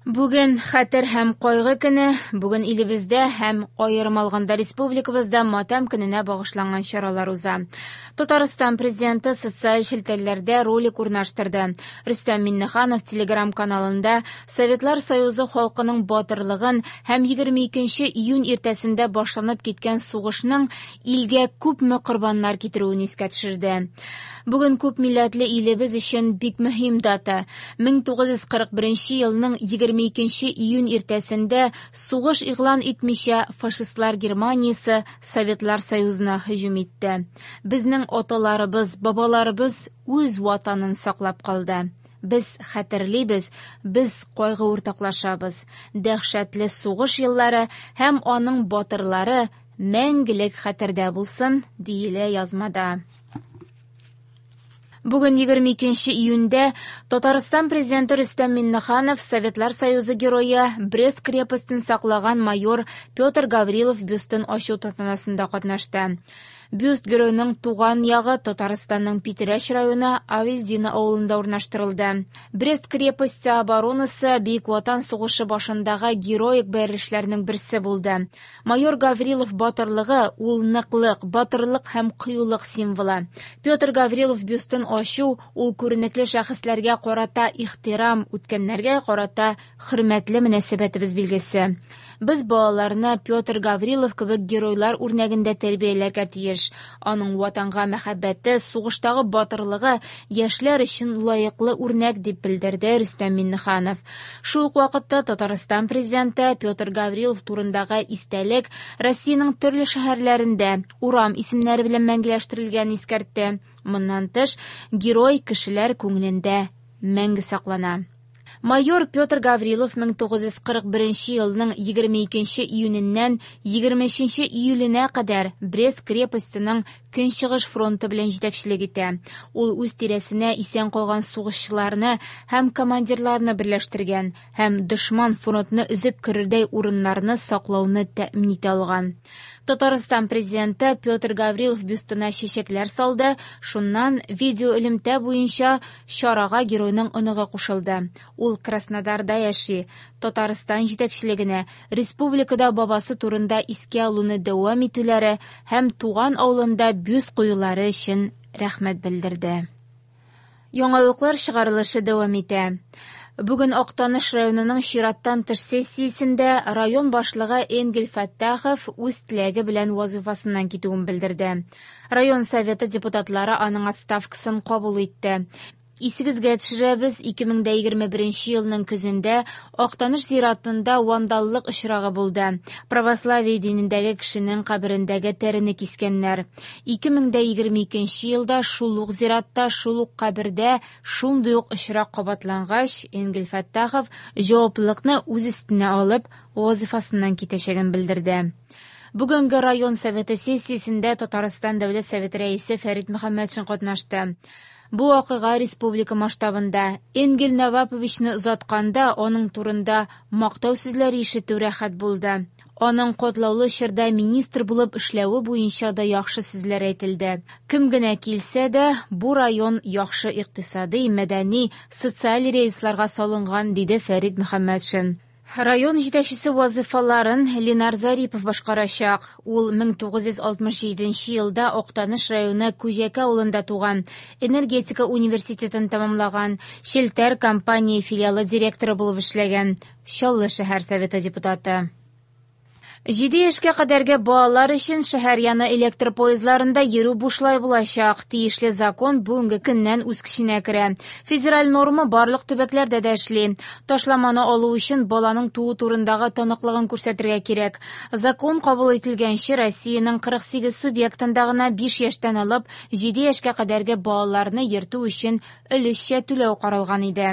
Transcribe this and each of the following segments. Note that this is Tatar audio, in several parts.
Бүген хәтер һәм кайгы көне. Бүген илебездә һәм аерым алганда республикабызда матәм көненә багышланган чаралар уза. Татарстан президенты социаль челтәрләрдә ролик урнаштырды. Рөстәм Миңнеханов телеграм-каналында Советлар Союзы халкының батырлыгын һәм 22 июнь иртәсендә башланып киткән сугышның илгә күпме корбаннар китерүен искә төшерде. Бүген күп милләтле илебез өчен бик мөһим дата. 1941 елның 22 июнь иртәсендә сугыш игълан итмичә фашистлар Германиясе Советлар Союзына һөҗүм итте. Безнең аталарыбыз, бабаларыбыз үз ватанын саклап калды. Без хәтерлибез, без кайгы уртаклашабыз. Дәһшәтле сугыш еллары һәм аның батырлары мәңгелек хәтердә булсын, диелә язмада. Бүген 22 июньдә Татарстан президенты Рөстәм Миңнеханов Советлар Союзы герое, Брест крепостен саклаган майор Петр Гаврилов бюстын ачу тантанасында катнашты. Бюст геройның туган ягы Татарстанның Питрәч районы Авельдино авылында урнаштырылды. Брест крепосте оборонасы Бөек Ватан сугышы башындагы героик бәрелешләрнең берсе булды. Майор Гаврилов батырлыгы ул ныклык, батырлык һәм кыюлык символы. Петр Гаврилов бюстын ачу ул күренекле шәхесләргә карата ихтирам, үткәннәргә карата хөрмәтле мөнәсәбәтебез билгесе. Без балаларны Петр Гаврилов кебек геройлар үрнәгендә тәрбияләргә тиеш. Аның ватанга мәхәббәте, сугыштагы батырлыгы яшьләр өчен лаеклы үрнәк, дип белдерде Рөстәм Миңнеханов. Шул ук вакытта Татарстан президенты Петр Гаврилов турындагы истәлек Россиянең төрле шәһәрләрендә урам исемнәре белән мәңгеләштерелгәнен искәртте. Моннан тыш, герой кешеләр күңелендә мәңге саклана. Майор Петр Гаврилов 1941 елның 22 июненнән 23 июленә кадәр Брест крепостеның Көнчыгыш фронты белән җитәкчелек итә. Ул үз тирәсенә исән калган сугышчыларны һәм командирларны берләштергән һәм дошман фронтны өзеп керердәй урыннарны саклауны тәэмин итә алган. Татарстан президенты Петр Гаврилов бюстына чәчәкләр салды, шуннан видеоэлемтә буенча чарага геройның оныгы кушылды. Ул Краснодарда яши. Татарстан җитәкчелегенә республикада бабасы турында искә алуны дәвам итүләре һәм туган авылында бюст куюлары өчен рәхмәт белдерде. Яңалыклар чыгарылышы дәвам итә. Бүген Актаныш районының чираттан тыш сессиясендә район башлыгы Энгель Фәттахов үз теләге белән вазыйфасыннан китүен белдерде. Район советы депутатлары аның отставкасын кабул итте. Исегезгә төшерәбез, 2021 елның көзендә Актаныш зиратында вандаллык очрагы булды. Православие динендәге кешенең каберендәге тәрене кискәннәр. 2022 елда шул ук зиратта, шул ук кабердә шундый ук очрак кабатлангач, Энгель Фәттахов җаваплылыкны үз өстенә алып, вазыйфасыннан китәчәген белдерде. Бүгенге район советы сессиясендә Татарстан Дәүләт Советы рәисе Фәрит Мөхәммәтшин катнашты. Бу вакыйга республика масштабында. Энгель Наваповичны озатканда аның турында мактау сүзләре ишетү рәхәт булды. Аның катлаулы чорда министр булып эшләве буенча да яхшы сүзләр әйтелде. Кем генә килсә дә, бу район яхшы икътисади, мәдәни, социаль рельсларга салынган, диде Фәрит Мөхәммәтшин. Район җитәкчесе вазыйфаларын Ленар Зарипов башкарачак. Ул 1967 елда Актаныш районы Күҗәкә авылында туган, энергетика университетын тәмамлаган, Челтәр компания филиалы директоры булып эшләгән, Чаллы шәһәр советы депутаты. 7 яшькә кадәрге балалар өчен шәһәр яны электр поездларында йөрү бушлай булачак. Тиешле закон бүгенге көннән үз көченә керә. Федераль норма барлык төбәкләрдә дә эшли. Ташламаны алу өчен баланың туу турындагы таныклыгын күрсәтергә кирәк. Закон кабул ителгәнче Россиянең 48 субъектында гына 5 яшьтән алып 7 яшькә кадәрге балаларны йөртү өчен өлешчә түләү каралган иде.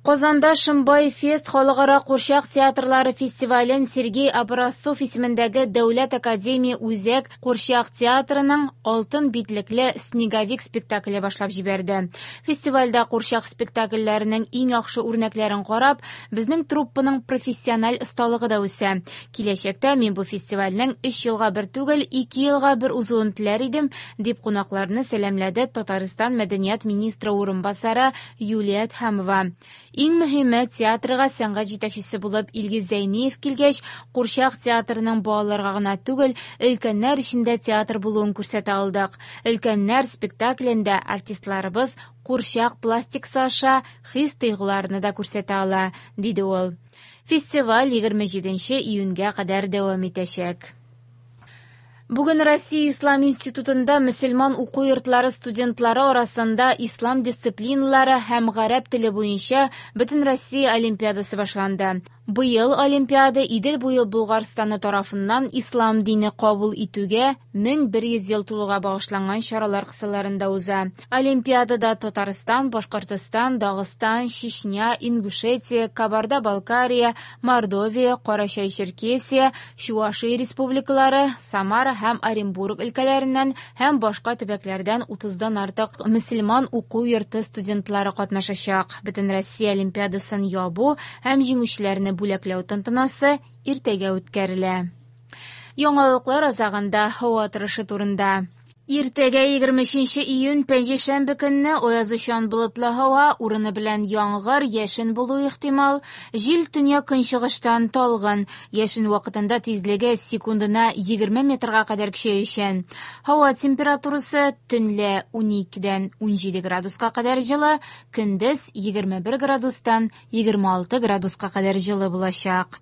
Казанда Шымбай фест халыкара курчак театрлары фестивален Сергей Образцов исемендәге Дәүләт академия үзәк курчак театрының алтын битлекле Снеговик спектакле башлап җибәрде. Фестивальдә курчак спектакльләренең иң яхшы үрнәкләрен карап, безнең труппаның профессиональ осталыгы да үсә. Киләчәктә мин бу фестивальнең 3 елга бер түгел, 2 елга бер узуын теләр идем, дип кунакларны сәламләде Татарстан мәдәният министры урынбасары Юлия Әдһәмова. Иң мөһиме, театрга сәнгать җитәкчесе булып Илгиз Зәйниев килгәч, курчак театрының балаларга гына түгел, өлкәннәр өчен дә театр булуын күрсәтә алдык. Өлкәннәр спектаклендә артистларыбыз курчак пластикасы аша хис-тойгыларны да күрсәтә ала, диде ул. Фестиваль 27 июньгә кадәр дәвам итәчәк. Бүген Россия Ислам институтында мөселман уку йортлары студентлары арасында ислам дисциплиналары һәм гарәп теле буенча Бөтенроссия олимпиадасы башланды. Быел олимпиада Идел буе Болгарстаны тарафыннан ислам дине кабул итүгә 1100 ел тулуга багышланган чаралар кысаларында уза. Олимпиадада Татарстан, Башкортостан, Дагыстан, Чечня, Ингушетия, Кабарда-Балкария, Мордовия, Карачай-Черкесия, Чувашия республикалары, Самара һәм Оренбург өлкәләреннән һәм башка төбәкләрдән 30-дан артык мөселман уку йорты студентлары катнашачак. Бөтенроссия олимпиадасын ябу һәм җиңүчеләрне бүләкләү тантанасы иртәгә үткәрелә. Яңалыклар азагында һава торышы турында. Иртәгә 23 июнь пәнҗешәмбе көнне аязучан болытлы һава, урыны белән яңгыр, яшен булуы ихтимал. Җил төньяк-көнчыгыштан талгын. Яшен вакытында тизлеге секундына 20 метрга кадәр көчәючән. Һава температурасы төнлә 12-дән 17 градуска кадәр җылы, көндез 21 градустан 26 градуска кадәр җылы булачак.